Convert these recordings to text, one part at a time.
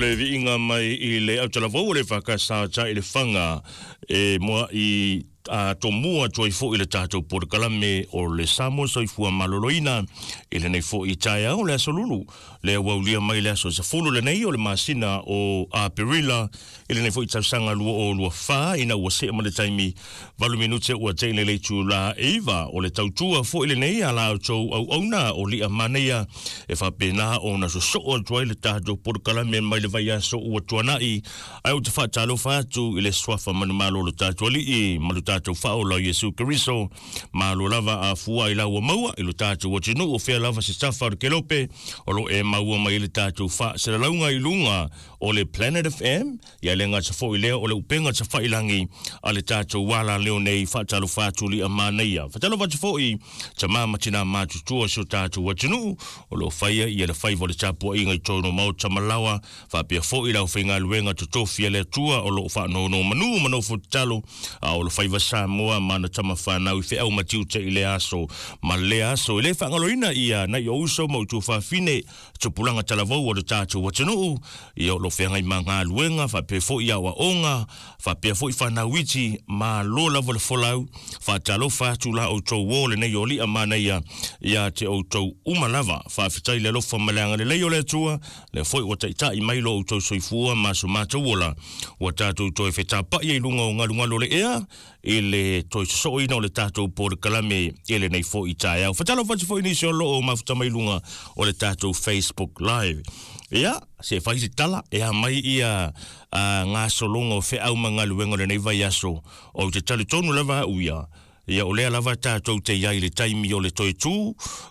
le viiga mai i le autalavou o le EFKS i Lefaga e moa i a tomua atu ai foi le tatou polokalame o le Samoa Soifua Maloloina i lenei foi taeao o le aso Lulu lea ua aulia mai le aso 10 lenei o le masina o Aperila i lenei foi tausaga 2024, ina ua see ma le taimi 8 minute ua te'i le itula 9. O le tautua foi lenei a la outou auauna o Lia Manaia e faapena ona sosoo atu ai le tatou polokalame mai le vaiaso ua tuanai. Ae ou te faatalofa atu i le suafa manumalo o lo tatou Alii ma lo tatou Faaola o Iesu Keriso. Malo lava a fua i la ua maua i lo tatou atunuu, o fea lava se tafa o le kelope o lo e maua mai ai le tatou faasalalauga i luga o le Planet FM, ia le gata foi lea o le upega tafailangi a le tatou ala leo nei. Faatalofa atu Lia Manaia. Faatalofa atu foi tamā ma tinā matutua o si o tatou atunuu o lo o faia ia le faiva o le tapuaiga i totonu o maota ma laoa, faapea foi le aufaigaluega totofi a le Atua o lo o faanonomanu ma nofo tatalo a o le faiva Samoa ma ana tama fanau i feau ma tiute i lea aso ma lea aso. E le faagaloina ia nai o uso ma utuafafine tupulaga talavou o le tatou atunuu, ia o lo o feagai ma galuega, faapea foi aoaoga, faapea foi fanau iti. Malo lava le folau. Faatalofa atu la outou o lenei o Lia Manaia ia te outou uma lava. Faafetai le alofa ma le agalelei o le Atua, lea foi ua taitai mai lo outou soifua ma so matou ola, ua tatou toe fetapai ai luga o galugalu o le ea i le toe sosooina o le tatou polokalame i lenei foi taeao. Faatalofa atu foi nisi o lo o mafuta mai luga o le tatou Facebook Live. Ia, se fai se tala, e a mai ia gasologa o feau ma galuega o lenei vaiaso, ou te talitonu lava au ia, ia o lea lava tatou te iai i le taimi o le toe tū,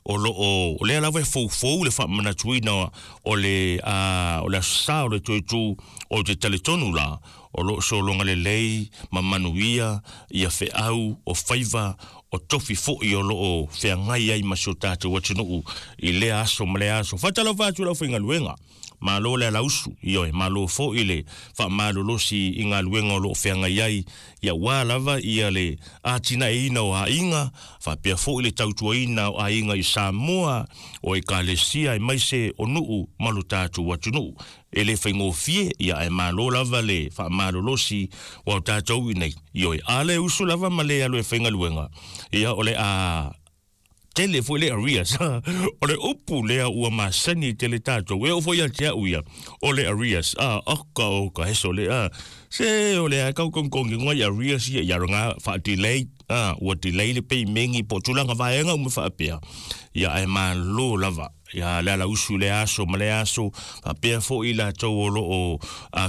o lo o, o lea lava e foufou le faamanatuina o le, o le aso sa o le toe tū, ou te talitonu la, o lo o sologa lelei ma manuia ia feau o faiva o tofi foi o lo o feagai ai ma si o tatou atunuu i lea aso ma lea aso. Faatalofa atu i le aufaigaluega. Malo le alausu, ioe, malo foi le faamalolosi i galuega o lo o feagai ai, ia aua lava ia le atinaeina o aiga, faapea foi le tautuaina o aiga i Samoa, o Ekalesia aemaise o nuu ma lo tatou atunuu. E le faigofie, ia ae malo lava le faamalolosi aua o tatou i nei, ioe, a le usu lava ma le alu e faigaluega, ia o le a tele foi le arrears. O le upu lea ua masani tele tatou, e oo foi ia te au ia, o le arrears, a, oka oka heso le a, se o le a kau kongkongi ngai arrears ia, ia nga faa-delay, a, ua delay le payment po o tulaga vaega uma faapea, ia ae malo lava. Ia le alausu i lea aso ma lea aso, faapea foi i latou o lo o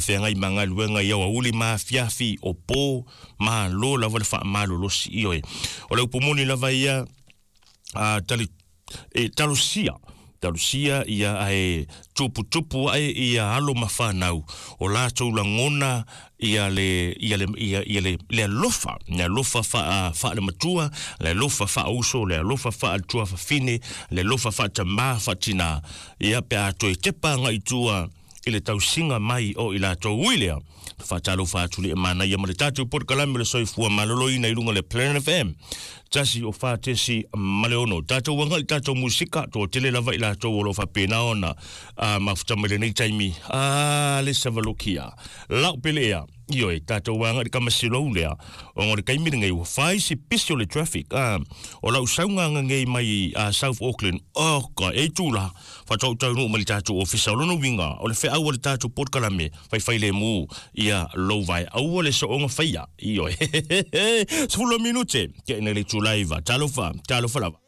feagai ma galuega i aoauli ma afiafi o po, malo lava le faamalolosi. Ioe, o le upu moni lava ia, a, tali, e talosia, talosia ia ae tuputupu ae ia alo ma fanau o latou lagona ia le ia le ia, ia le le alofa, le alofa faa faalematua, le alofa faauso, le alofa faalatuafafine, le alofa faatamā faatinā, ia pe a toe tepa agai i tua i le tausiga mai o i latou. Ui lea, faatalofa atu le manaia ma le tatou polokalame o le soifua maloloina i luga o le Planet FM 104.6. Tatou agai i tatou musika, toatele lava i latou o lo o faapena ona mafuta mai lenei taimi. A le savalokia lau pele ea, ioe, tatou agai i le kamasilou lea, ona o le taimi lenei ua fai si pisi o le traffic. O lau sauga ngei mai South Auckland, oh ka e tula faatoa ou taunuu mai le tatou ofisa. O lona uiga o le feau o le tatou polokalame faifai lemu ia lou vae, aua le sooga faia, ioe. 10 minute ke ina le itula 9. Talofa, talofa lava.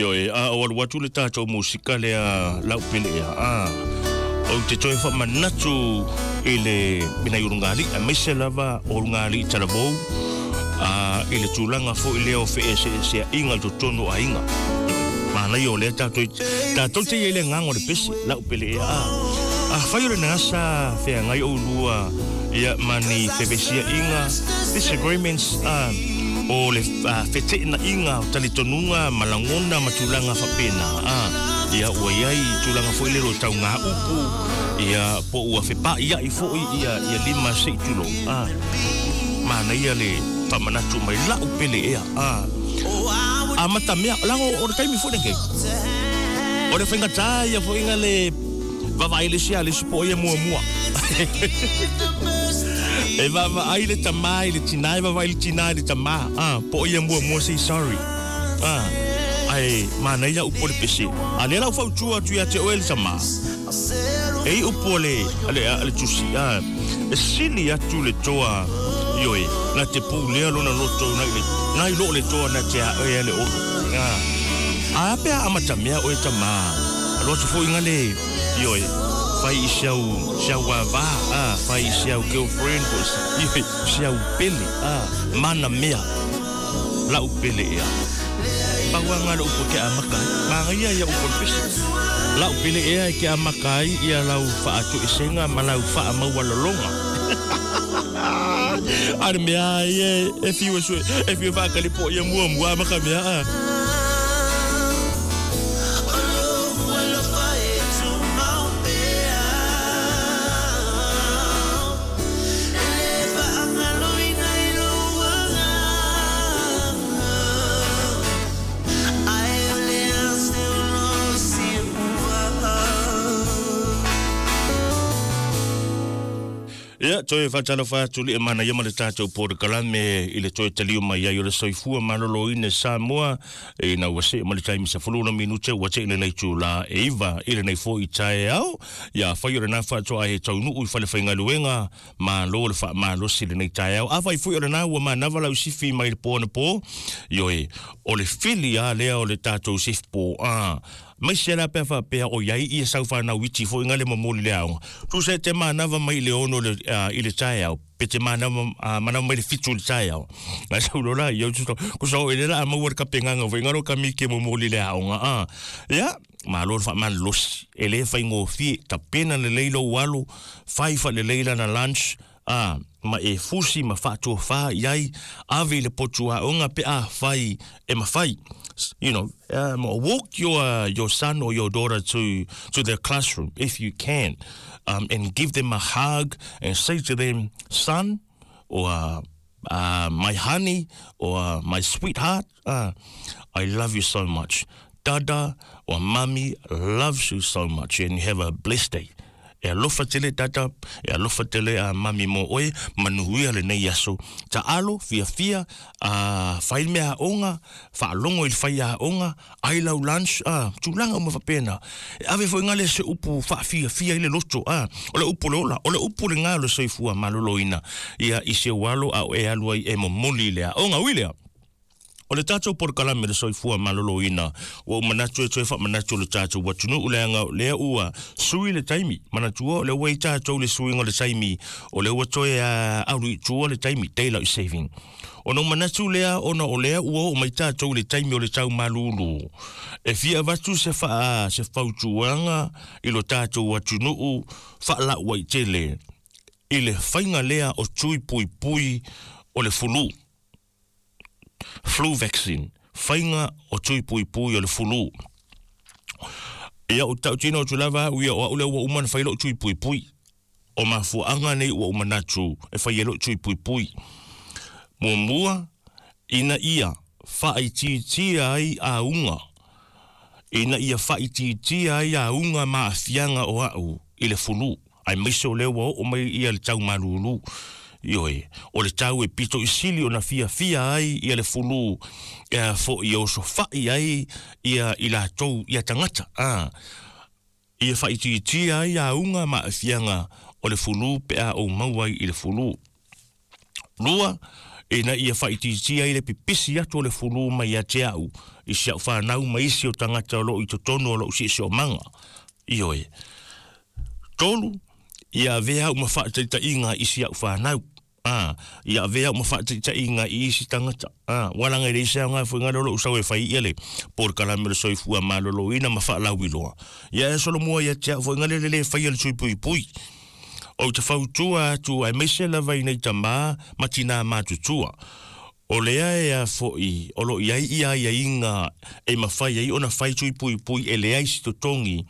Ioe, a o alu atu le tatou musika lea lau pele ea, a ou te toe faamanatu i le i nai ulugalii, aemaise lava o ulugalii talavou, a i le tulaga foi lea o feeseeseaiga i totonu o aiga. Manaia o lea tatou tatou te i ai i le agaga o le pese, lau pele ea, a afai o lena sa feagai oulua ia ma ni fevesiaiga, disagreements, a o le feteenaiga o talitonuga ma lagona ma tulaga faapena, a ia ua i ai tulaga foi lele o tauga upu, ia po ua fepaaiai foi ia ia lima se i tulou, a manaia le faamanatu mai lau pele ea, a amata mea leaga o le taimi foi lenei o le faigata ia foi na le vaavaai le isi a le isi po o ia muamua. E vaavaai le tamā i le tinā, e vaavaai le tinā i le tamā, ah, po o ia muamua say sorry. Ah, ae manaia upu o le pese. A lea la ua fautua atu ia te oe le tamā, e i upu a le, a le, a le tusi, ah, e sili atu le toa, ioe, na te pulea lona loto nai le, nai lo le toa na te a oe le olo. Ah, a pe a amatamea oe tamā, Alu atu foi nga le, ioe, fai i si au, si au vava, a, fai i si au girlfriend po ioe, si au pele, a, mana mea, lau pele ea. Pau a nga le upu e ke amaka ai. Manaia ia upu o le pese. Lau pele ea e ke amaka ai ia lau faatoesenga ma lau faamaualaloga. A le mea ia e fiu e sue, e fiu e faakali po ia muamua ma ka mea, a. Ia, toe faatalofa atu le manaia ma le tatou polokalame i le toe taliu mai ai o le soifua maloloina i Samoa ina ua see ma le taimi 16 minute ua tee lenei itula e 9 i lenei foi taeao. Ia, afai o lena faatoa e taunuu i fale faigaluega, malo le faamalosi i lenei taeao. Afai foi o lena ua manava lau sifi mai le po anapo, ioe, o le fili lava lea o le tatou sifi po, a Aemaise la pe a faapea o i ai ia sau fanau iti foi nga le momoli le aoga. Tusa e te manava mai i le ono le, i le taeao, pe te manava, manava mai le fitu i le taeao. Nga sau loa la ia, kusa o ele la a maua le kapengaga foi nga lo ka miki e momoli le aoga, a. Ia, malo le faamalolosi. E le faigofie, tapena lelei lou alo, fai faalelei lana lunch, a, ma e fusi ma faatofa i ai, ave i le potu aoga pe afai e mafai. You know, walk your, your son or your daughter to, to their classroom if you can, and give them a hug and say to them, son, or my honey, or my sweetheart, I love you so much. Dada or mummy loves you so much and you have a blessed day. E alofa tele dada, e alofa tele a mummy mo oe, manuia lenei aso. Taalo, fiafia, a fai le mea aoga, faalogo i le fai aoga, ai lau lunch, a, tulaga uma faapena. E ave foi ngale se upu faafiafia i le loto, a, o le upu o le ola, o le upu lena o le soifua maloloina, ia i si ou alo a o e alu ai e momoli i le aoga. Ui lea! O le tatou polokalame le soifua maloloina, ua ou manatu e toe faamanatu le tatou atunuu leaga o lea ua sui le taimi. Manatua o lea ua i tatou le suiga o le taimi, o lea ua toe alu i tua le taimi, daylight saving. Ona ou manatu lea ona o lea ua oo mai tatou i le taimi o le tau malulu, e fia avatu se faa, se fautuaga i lo tatou atunuu faalauaitele i le faiga lea o tui puipui o le fulu. Flu vaccine, faiga o tui puipui o le fulu. Ia ou tautino atu lava au ia o au lea ua uma ona fai lou tui puipui. O mafuaaga nei ua ou manatu e fai ai lou tui puipui. Muamua, ina ia faaitiitia ai auga, ina ia faaitiitia ai auga ma aafiaga o au i le fulu. Aemaise o lea ua oo mai ia le tau malulu. Ioe, o le tau e pito i sili ona fiafia ai ia le fulu e a foi e osofai ai ia i latou ia tagata, a ia faaitiitia ai auga ma aafiaga o le fulu pe a ou maua ai i le fulu. Lua, Ina ia faaitiitia ai le pipisi atu o le fulu mai ia te au i si au fanau ma isi o tagata o loo i totonu o lou siosiomaga. Ioe. 3, ia avea au ma faataitaiga i si au fanau. A, ia avea au ma faataitaiga i isi tagata. A, ua laga i le isi aoga foi gale o lou sau e fai ia le polokalame o le soifua maloloina ma faalauiloa. Ia e solomua ia te au foi gale le le faia le tui puipui. Ou te fautua atu aemaise lava i nei tamā ma tinā matutua. O lea e a foi o loo i ai ia aiaiga e mafai ai ona fai tui puipui e leai se totogi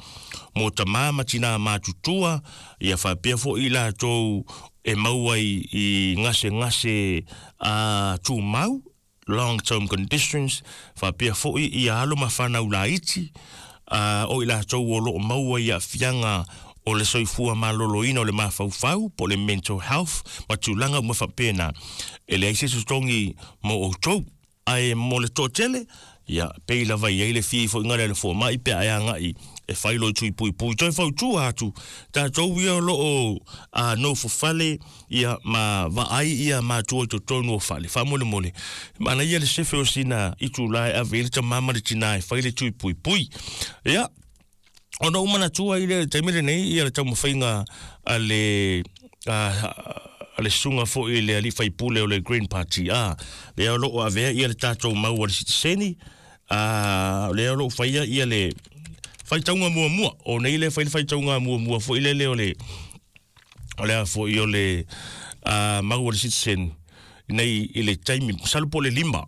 mo tamā ma tinā matutua, ia faapea foi i latou e maua i gasegase a tumau, long term conditions, faapea foi ia alo ma fanau laiti, a o i latou o loo maua i aafiaga o le soifua maloloina o le mafaufau po o le mental health ma tulaga uma faapena. E leai se totogi mo outou, ae mo le toatele, ia pei lava i ai le fia ifoiga lea le fomai pe a e agai e fai lou tui puipui. Toe fautua atu tatou ia o loo nofo fale ia ma vaai ia matua i totonu o fale. Faamolemole, manaia le sefe o sina itulā e ave ai le tamā ma le tinā e fai le tui puipui. Ia, ona ou manatua i le taimi lenei ia le taumafaiga a le a le susuga foi i le alii faipule o le Green Party, a lea o loo avea ia le tatou mau a le sitiseni, a lea o loo faia ia le faitauga muamua o nei le fai le faitauga muamua foi lele o le o le a foi o le mau a le sitiseni nei i le taimi masalo po o le 5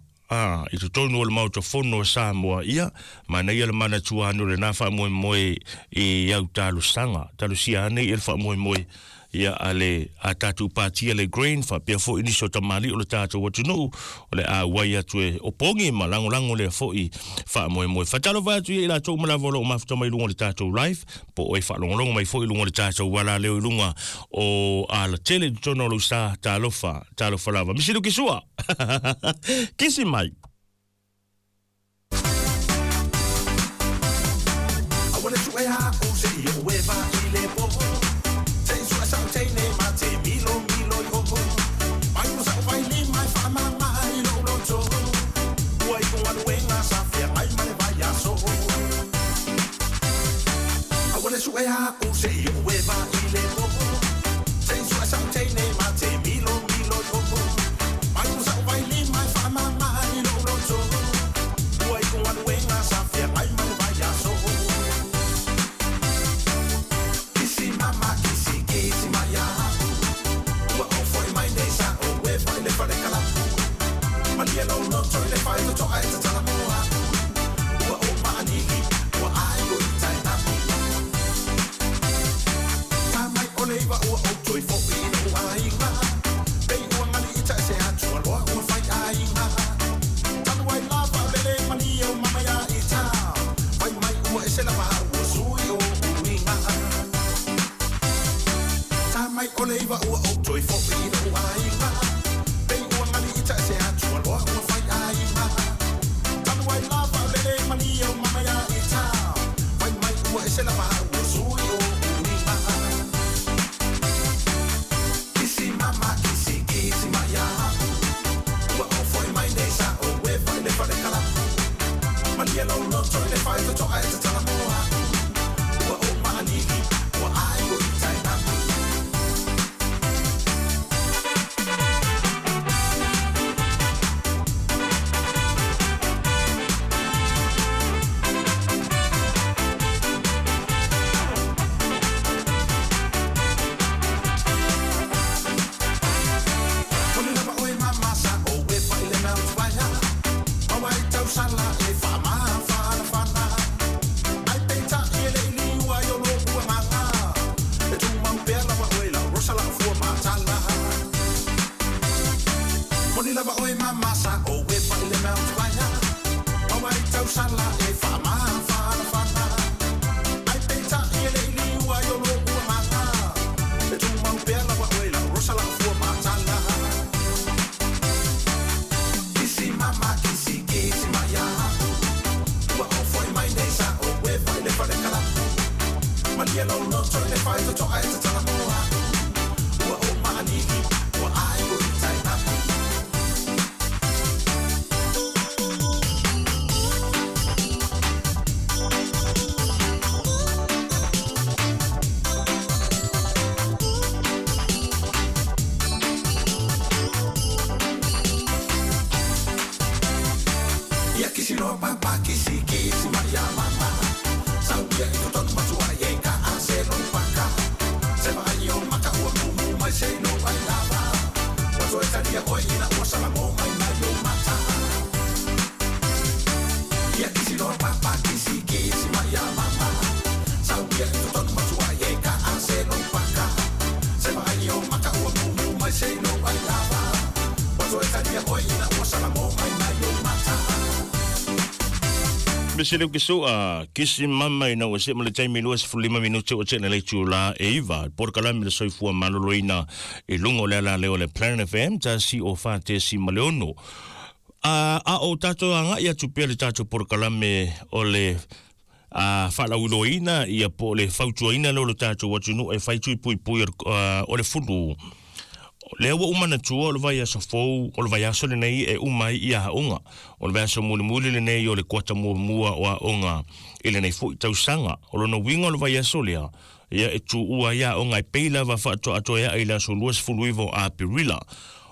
i totonu o le Maota Fono o Samoa. Ia, manaia le manatua ane o lena faamoemoe i au talosaga. Talosia ane ia le faamoemoe ia a le a tatou pati a le Green, faapea foi nisi o tamalii o le tatou atunuu o le a auai atu e opogi ma lagolago lea foi faamoemoe. Faatalofa atu ia i latou uma lava o loo mafuta mai luga o le tatou live, po o e faalogologo mai foi i luga o le tatou alaleo i luga o alatele i totonu o lou sa. Talofa, talofa lava. Misilu kisua! Kisi mai! Kisi no papa kisi kisi maria mama. Sauia i totonu matua e ka a se no paka. Se vai o maka ua mumu mai se no ai lava. Wato e taria oi ina ua sala mo mai mai o mata. Ia kisi no papa kisi kisi maria mama. Sauia i totonu matua e ka a se no paka. Se vai o maka ua mumu mai se no ai lava. Wato e taria oi ina ua sala mo mai mai o mata. Mese leu ke soa, kisi mama ina ua se ma le taimi 25 minute o tena le tula e iva. Porokalame le soifua maloloina i luga o le ala lea o le Planet FM, tasi o fa tesi ma le ono. A o tatou agai atu pea le tatou porokalame o le faalauiloaina ia po o le fautuaina lea o le tatou atunuu e fai tui puipui o le fulu. Lea ua ou manatua o le vaiaso fou, o le vaiaso lenei e uma ai ia aoga. O le vaiaso mulimuli lenei o le kuata muamua o aoga i lenei foi tausaga. O lona uiga o le vaiaso lea, ia e tuua ai aoga e pei lava faatoatoeaʻi i le aso 29 o Aperila.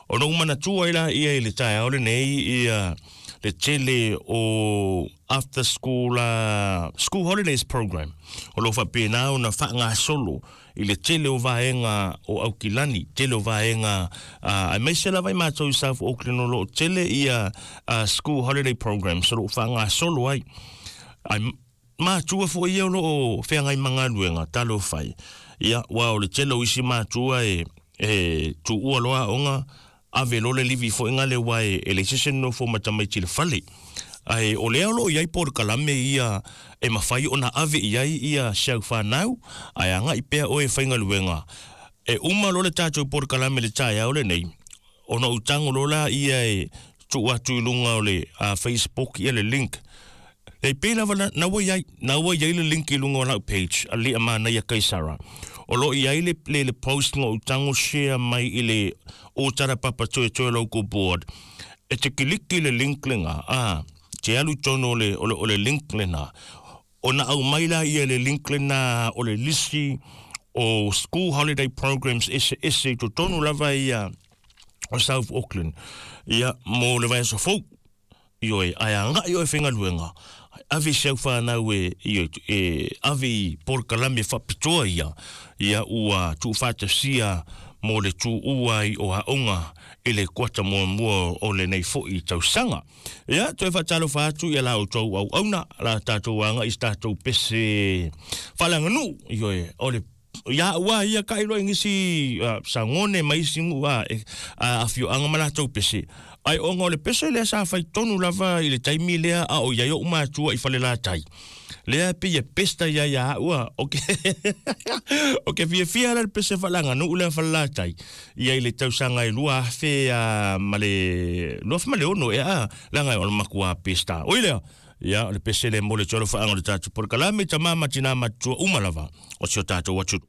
Ona ou manatua ai laia i le taeao lenei ia le tele o after school school holidays program o lo o faapena ona faagasolo i le tele o vaega o Aukilani, tele o vaega aemaise lava i matou i South Auckland o lo o tele ia school holiday programs o lo o faagasolo ai. Ai matua foi ia o lo o feagai ma galuega talofa e. Ia, aua o le tele o isi matua e e tuua loa aoga ave loa le livi foi gale aua e leai se isi e nonofo ma tamaiti i le fale. Ae o lea o lo o i ai polokalame ia e mafai ona ave i ai ia si au fanau, ae agai pea oe e faigaluega. E uma loa le tatou polokalame i le taeao lenei, ona ou tago loa laia e tuu atu i luga o le Facebook ia le link. E pei lava na, na ua i ai, na ua i ai le link i luga o lau page, a Lia Manaia Kaisara. O lo o i ai le, le, le post na ou tago share mai i le Ōtara Papa Toetoe Local Board. E te kiliki le link lena, a, te alu i tonu o le, o le, o le link lena. Ona aumai laia le link lena o le lisi o school holiday programs eseese i totonu lava ia o South Auckland. Ia, mo le vaiaso fou. Ioe, ae agai oe faigaluega, ave i si au fanau e, ioe, e ave i polokalame faapitoa ia, ia ua tuufaatasia mo le tuua ai o aoga i le kuata muamua o lenei foi tausaga. Ia, toe faatalofa atu i a la outou auauna, la tatou agai i se tatou pese faaleaganuu, ioe, o le Ia au a ia ka iloa i nisi sagone ma isi nuu a afioaga ma latou pese. Ae ona o le pese lea sa fai tonu lava i le taimi lea a o i ai oʻu matua i Falelatai. Lea e pei e pesta ia ia au a o ke o ke fiafia la le pese faaleaganuu lea Falelatai ia i le tausaga e 2000 ma le 2006 ea leaga o le matua pesta. Oi lea, ia o le pese lea mo le tolofaga o le tatou polokalame tama ma tina matutua uma lava o si o tatou atunuu.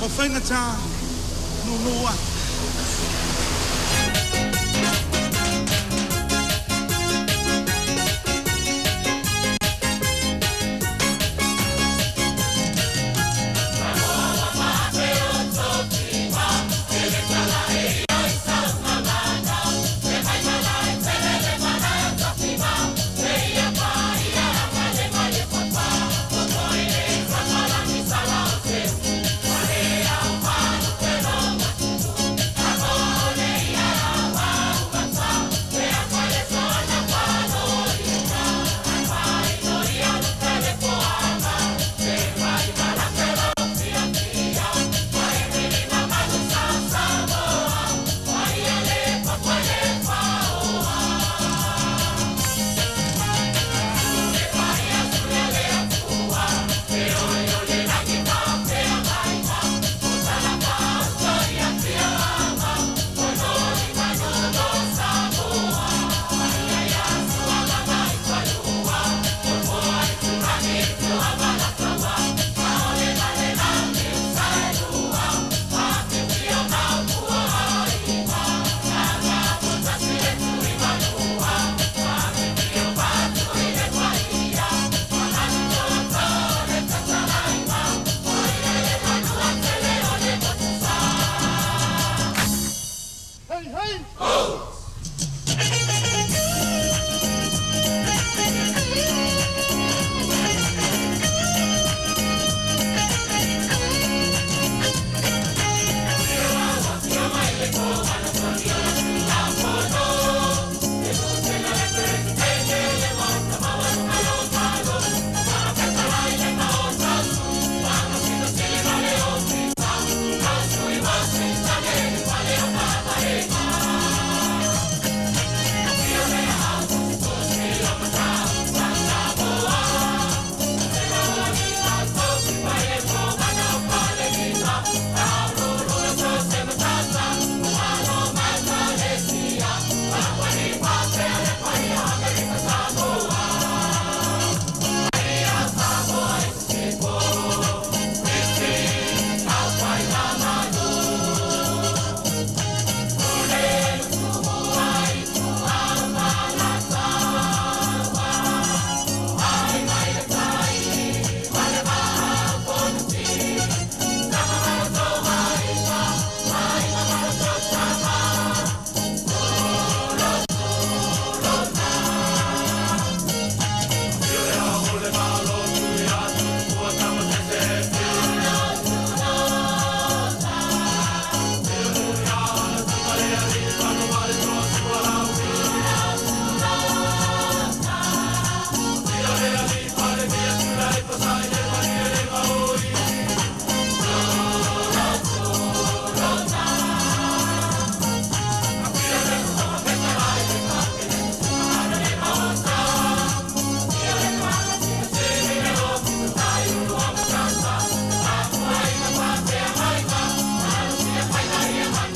O faigata nūnū atu.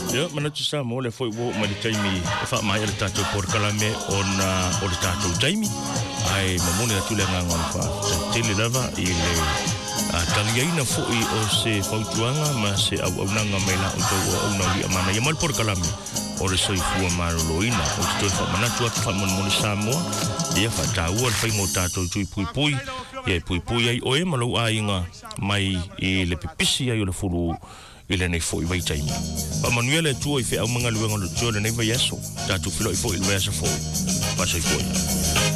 Ia, manatu sa mo le foi ua oo mai le taimi e faamaea le tatou polokalame ona o le tatou taimi. Ae momoli atu le agaga o le faafetai tele lava i le taliaina foi o se fautuaga ma se auaunaga mai la outou o auauna o Liamana ia ma le polokalame o le soifua maloloina. Ou te toe faamanatu atu faamolemole Samoa, ia faataua le faiga o tatou tui puipui, ia e puipui ai oe ma lou aiga mai i le pipisi ai o le fulu i lenei foi vaitaimi. Faamanuia le Atua i feau ma galuega o le Atua i lenei vaiaso. Tatou feiloai foi i le vaiaso fou. Faasoifua ia.